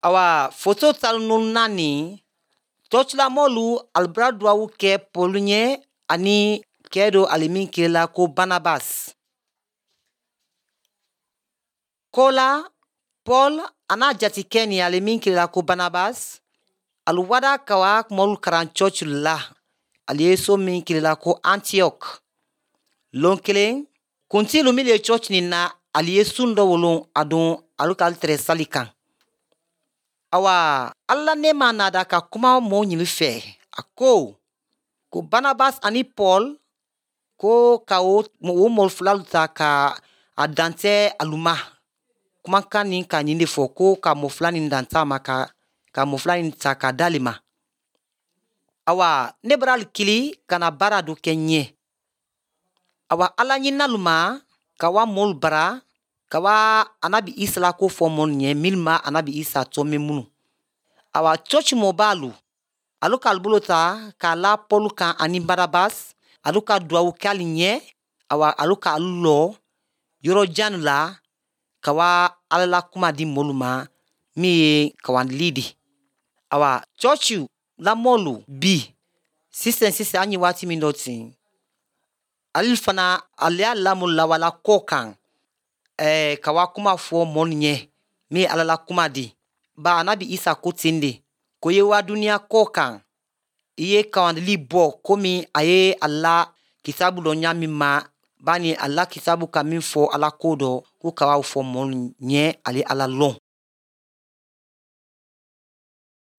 Awa foto 14 cɔcilamɔlu alu bara duwawu kɛ Pɔlu ɲɛ ani kɛ do ale min kele ko Barnabas. Kɔ la Paul an'a jatikɛ nin ale min kele ko Barnabas alu wada ka wa mɔlu karan cɔci la ale ye so min kele ko Antioch. Lon kelen kuntilu min ye cɔci nin na ale ye sun dɔ wolon a don alu k'alu tɛrɛ sali kan. Awa ala nɛɛma nada ka kuma mɔɔ ɲini fɛ a ko ko Barnabas ani Paul ko ka o o mɔɔ filalu ta ka a dantɛ alu ma kumakan nin ka nin de fɔ ko ka mɔɔ fila nin dantɛ a ma ka ka mɔɔ fila nin ta ka d'ale ma. Awa ne bara alu kili ka na baara dɔ kɛ ɲɛ. Awa ala ɲininalu ma ka wa mɔɔlu bara ka wa anabi Isa la ko fɔ mɔɔlu ɲɛ minnu ma anabi Isa tɔ mɛn minnu. Awa cɔci mɔbalu alu k'alu bolo ta k'a la Pɔlu kan ani Barnabas alu ka duwawu kɛ alu ɲɛ awa alu k'alu lɔ yɔrɔ jan la ka wa ala la kuma di mɔlu ma min ye kawandili di. Awa cɔci la mɔlu bi sisan sisan an ye waati min dɔ ten ale fana ale y'a lamɔ lawala kɔ kan ka wa kuma fɔ mɔlu ɲɛ min ye ala la kuma di. Ba anabi Isa ko ten de ko ye wa duniya kɔ kan i ye kawandili bɔ komi a ye a la kitabu dɔ ɲa min ma bani a la kitabu ka min fɔ ala ko dɔ ko ka fɔ mɔlu ɲɛ ale ala lɔn.